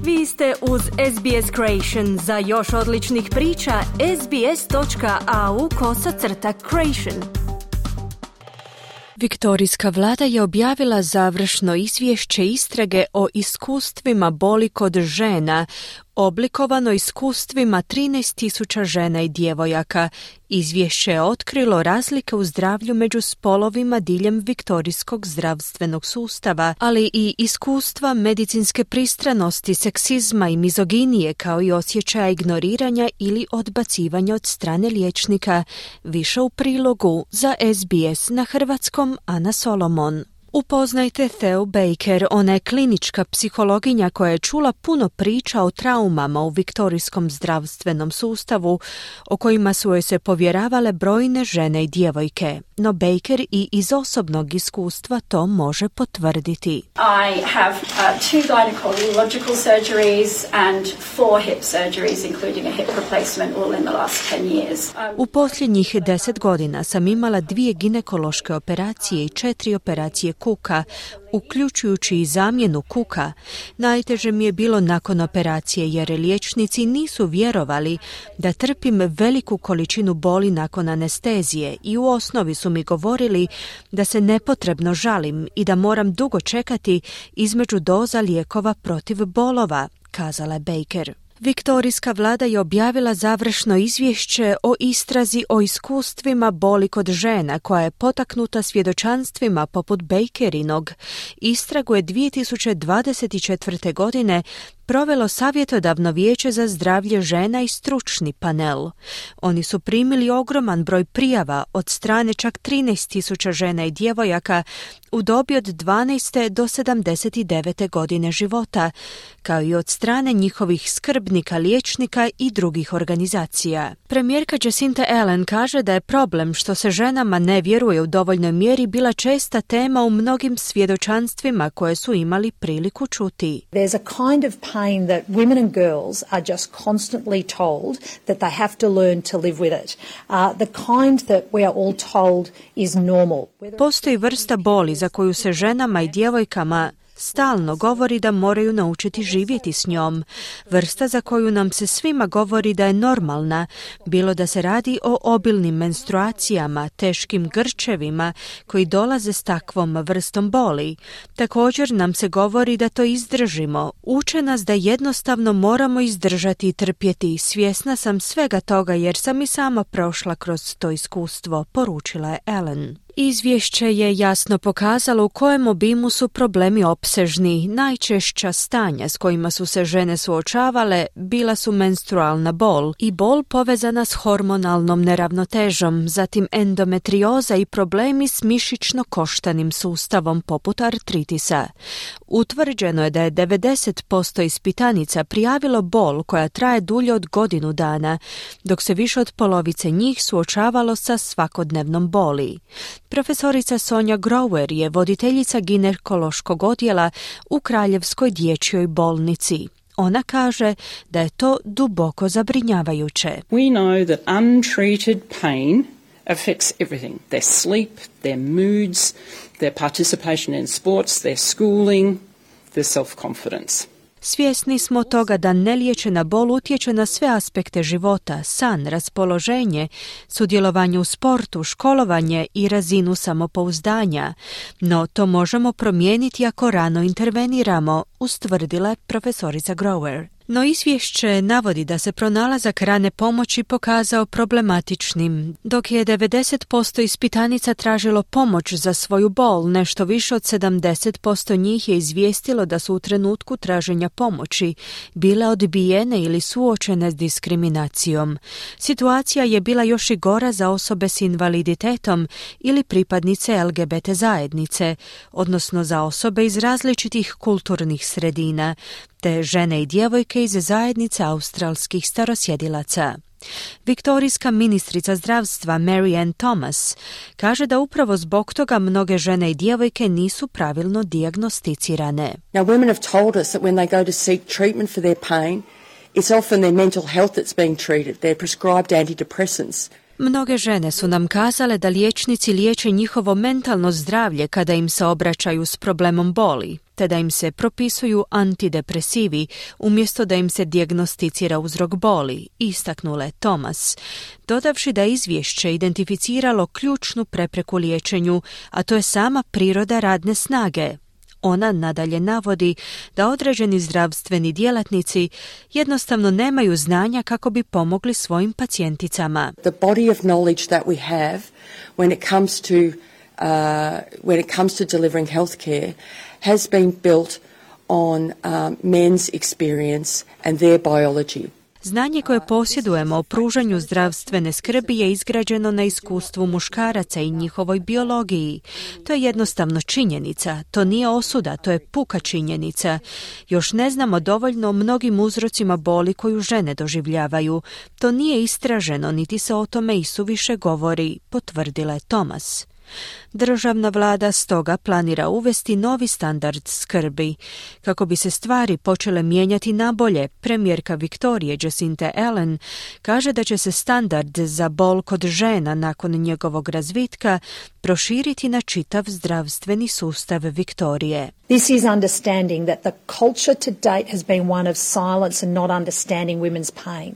Vi ste uz SBS Creation. Za još odličnih priča, sbs.au/creation. Viktorijska vlada je objavila završno izvješće istrage o iskustvima boli kod žena, oblikovano iskustvima 13.000 žena i djevojaka. Izvješće je otkrilo razlike u zdravlju među spolovima diljem viktorijskog zdravstvenog sustava, ali i iskustva medicinske pristranosti, seksizma i mizoginije, kao i osjećaja ignoriranja ili odbacivanja od strane liječnika. Više u prilogu za SBS na hrvatskom Ana Solomon. Upoznajte Theu Baker, ona je klinička psihologinja koja je čula puno priča o traumama u viktorijskom zdravstvenom sustavu, o kojima su joj se povjeravale brojne žene i djevojke. No Baker i iz osobnog iskustva to može potvrditi. I have 2 gynecological surgeries and 4 hip surgeries, including a hip replacement, all in the last 10 years. U posljednjih 10 godina sam imala 2 ginekološke operacije i 4 operacije kuka, uključujući i zamjenu kuka. Najteže mi je bilo nakon operacije jer liječnici nisu vjerovali da trpim veliku količinu boli nakon anestezije i u osnovi su mi govorili da se nepotrebno žalim i da moram dugo čekati između doza lijekova protiv bolova, kazala je Baker. Viktorijska vlada je objavila završno izvješće o istrazi o iskustvima boli kod žena koja je potaknuta svjedočanstvima poput Bakerinog. Istragu je 2024. godine provelo savjetodavno vijeće za zdravlje žena i stručni panel. Oni su primili ogroman broj prijava od strane čak 13.000 žena i djevojaka u dobi od 12. do 79. godine života, kao i od strane njihovih skrbnika, liječnika i drugih organizacija. Premijerka Jacinta Ardern kaže da je problem što se ženama ne vjeruje u dovoljnoj mjeri bila česta tema u mnogim svjedočanstvima koje su imali priliku čuti. There's a kind of pain that women and girls are just constantly told that they have to learn to live with it. The kind that we are all told is normal. Postoji vrsta boli za koju se ženama i djevojkama stalno govori da moraju naučiti živjeti s njom. Vrsta za koju nam se svima govori da je normalna, bilo da se radi o obilnim menstruacijama, teškim grčevima koji dolaze s takvom vrstom boli. Također nam se govori da to izdržimo. Uče nas da jednostavno moramo izdržati i trpjeti. Svjesna sam svega toga jer sam i sama prošla kroz to iskustvo, poručila je Ellen. Izvješće je jasno pokazalo u kojem obimu su problemi opsežni. Najčešća stanja s kojima su se žene suočavale bila su menstrualna bol i bol povezana s hormonalnom neravnotežom, zatim endometrioza i problemi s mišićno-koštanim sustavom poput artritisa. Utvrđeno je da je 90% ispitanica prijavilo bol koja traje dulje od godinu dana, dok se više od polovice njih suočavalo sa svakodnevnom boli. Profesorica Sonja Grower je voditeljica ginekološkog odjela u Kraljevskoj dječjoj bolnici. Ona kaže da je to duboko zabrinjavajuće. We know that untreated pain affects everything. Their sleep, their moods, their participation in sports, their schooling, their self-confidence. Svjesni smo toga da neliječena bol utječe na sve aspekte života, san, raspoloženje, sudjelovanje u sportu, školovanje i razinu samopouzdanja. No to možemo promijeniti ako rano interveniramo, ustvrdila je profesorica Grower. No izvješće navodi da se pronalazak rane pomoći pokazao problematičnim. Dok je 90% ispitanica tražilo pomoć za svoju bol, nešto više od 70% njih je izvijestilo da su u trenutku traženja pomoći bile odbijene ili suočene s diskriminacijom. Situacija je bila još i gora za osobe s invaliditetom ili pripadnice LGBT zajednice, odnosno za osobe iz različitih kulturnih sredina, te žene i djevojke iz zajednice australskih starosjedilaca. Viktorijska ministrica zdravstva Mary Ann Thomas kaže da upravo zbog toga mnoge žene i djevojke nisu pravilno dijagnosticirane. Now women have told us that when they go to seek treatment for their pain, it's often their mental health that's being treated. They're prescribed antidepressants. Mnoge žene su nam kazale da liječnici liječe njihovo mentalno zdravlje kada im se obraćaju s problemom boli. te da im se propisuju antidepresivi umjesto da im se dijagnosticira uzrok boli, istaknula je Thomas, dodavši da je izvješće identificiralo ključnu prepreku liječenju, a to je sama priroda radne snage. Ona nadalje navodi da određeni zdravstveni djelatnici jednostavno nemaju znanja kako bi pomogli svojim pacijenticama. The body of knowledge that we have when it comes to delivering healthcare has been built on men's experience and their biology. Znanje koje posjedujemo o pružanju zdravstvene skrbi je izgrađeno na iskustvu muškaraca i njihovoj biologiji. To je jednostavno činjenica, to nije osuda, to je puka činjenica. Još ne znamo dovoljno o mnogim uzrocima boli koju žene doživljavaju. To nije istraženo, niti se o tome isuviše govori, potvrdila je Thomas. Državna vlada stoga planira uvesti novi standard skrbi. Kako bi se stvari počele mijenjati nabolje, premijerka Viktorije Jacinta Ardern kaže da će se standard za bol kod žena nakon njegovog razvitka proširiti na čitav zdravstveni sustav Viktorije. This is understanding that the culture to date has been one of silence and not understanding women's pain.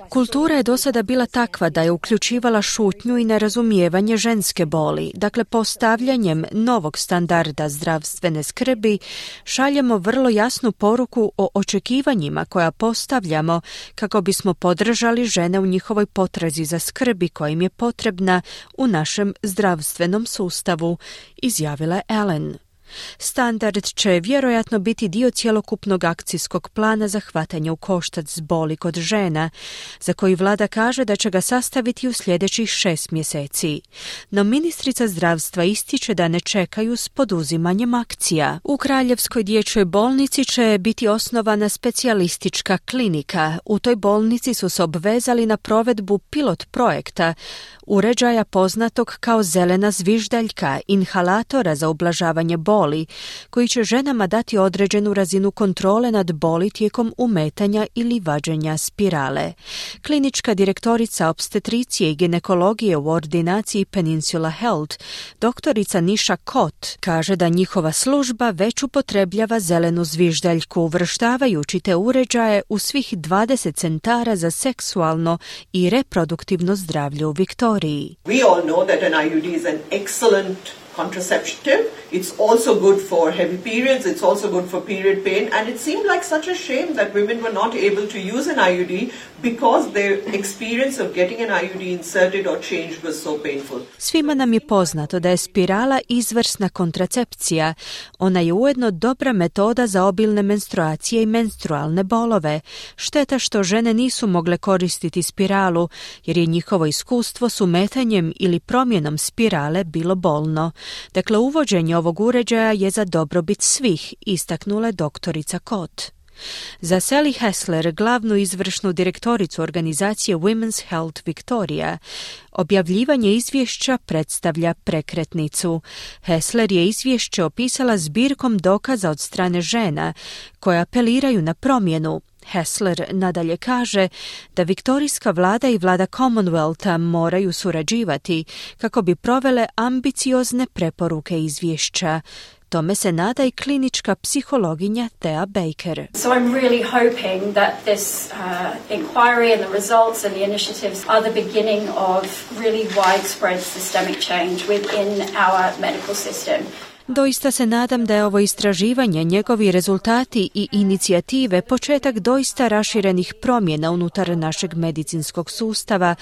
Kultura je do sada bila takva da je uključivala šutnju i nerazumijevanje ženske boli. Dakle, postavljanjem novog standarda zdravstvene skrbi šaljemo vrlo jasnu poruku o očekivanjima koja postavljamo kako bismo podržali žene u njihovoj potrazi za skrbi koja im je potrebna u našem zdravstvenom sustavu, izjavila je Ellen. Standard će vjerojatno biti dio cjelokupnog akcijskog plana za hvatanje u koštac s boli kod žena, za koji vlada kaže da će ga sastaviti u sljedećih 6 mjeseci. No ministrica zdravstva ističe da ne čekaju s poduzimanjem akcija. U Kraljevskoj dječjoj bolnici će biti osnovana specijalistička klinika. U toj bolnici su se obvezali na provedbu pilot projekta, uređaja poznatog kao zelena zviždaljka, inhalatora za ublažavanje boli, koji će ženama dati određenu razinu kontrole nad boli tijekom umetanja ili vađenja spirale. Klinička direktorica opstetricije i ginekologije u ordinaciji Peninsula Health, doktorica Nisha Kot, kaže da njihova služba već upotrebljava zelenu zviždaljku, uvrštavajući te uređaje u svih 20 centara za seksualno i reproduktivno zdravlje u Viktoriji. We all know that an IUD is an excellent contraceptive. It's also good for heavy periods, it's also good for period pain, and it seemed like such a shame that women were not able to use an IUD because their experience of getting an IUD inserted or changed was so painful. Svima nam je poznato da je spirala izvrsna kontracepcija. Ona je ujedno dobra metoda za obilne menstruacije i menstrualne bolove. Šteta što žene nisu mogle koristiti spiralu, jer je njihovo iskustvo s umetanjem ili promjenom spirale bilo bolno. Dakle, uvođenje ovog uređaja je za dobrobit svih, istaknula je doktorica Kot. Za Sally Hessler, glavnu izvršnu direktoricu organizacije Women's Health Victoria, objavljivanje izvješća predstavlja prekretnicu. Hessler je izvješće opisala zbirkom dokaza od strane žena koje apeliraju na promjenu. Hessler nadalje kaže da viktorijska vlada i vlada Commonwealtha moraju surađivati kako bi provele ambiciozne preporuke izvješća. Tome se nada i klinička psihologinja Thea Baker. So I'm really hoping that this inquiry and the results and the initiatives are the beginning of really widespread systemic change within our medical system. Doista se nadam da je ovo istraživanje, njegovi rezultati i inicijative početak doista raširenih promjena unutar našeg medicinskog sustava,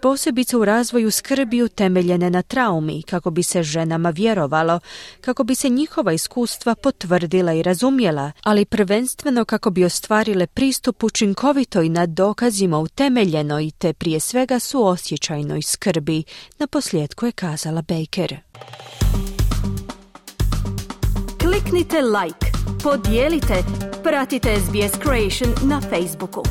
posebice u razvoju skrbi utemeljene na traumi, kako bi se ženama vjerovalo, kako bi se njihova iskustva potvrdila i razumjela, ali prvenstveno kako bi ostvarile pristup učinkovitoj na dokazima utemeljenoj te prije svega suosjećajnoj skrbi, naposljetku je kazala Baker. Kliknite like, podijelite, pratite SBS Creation na Facebooku.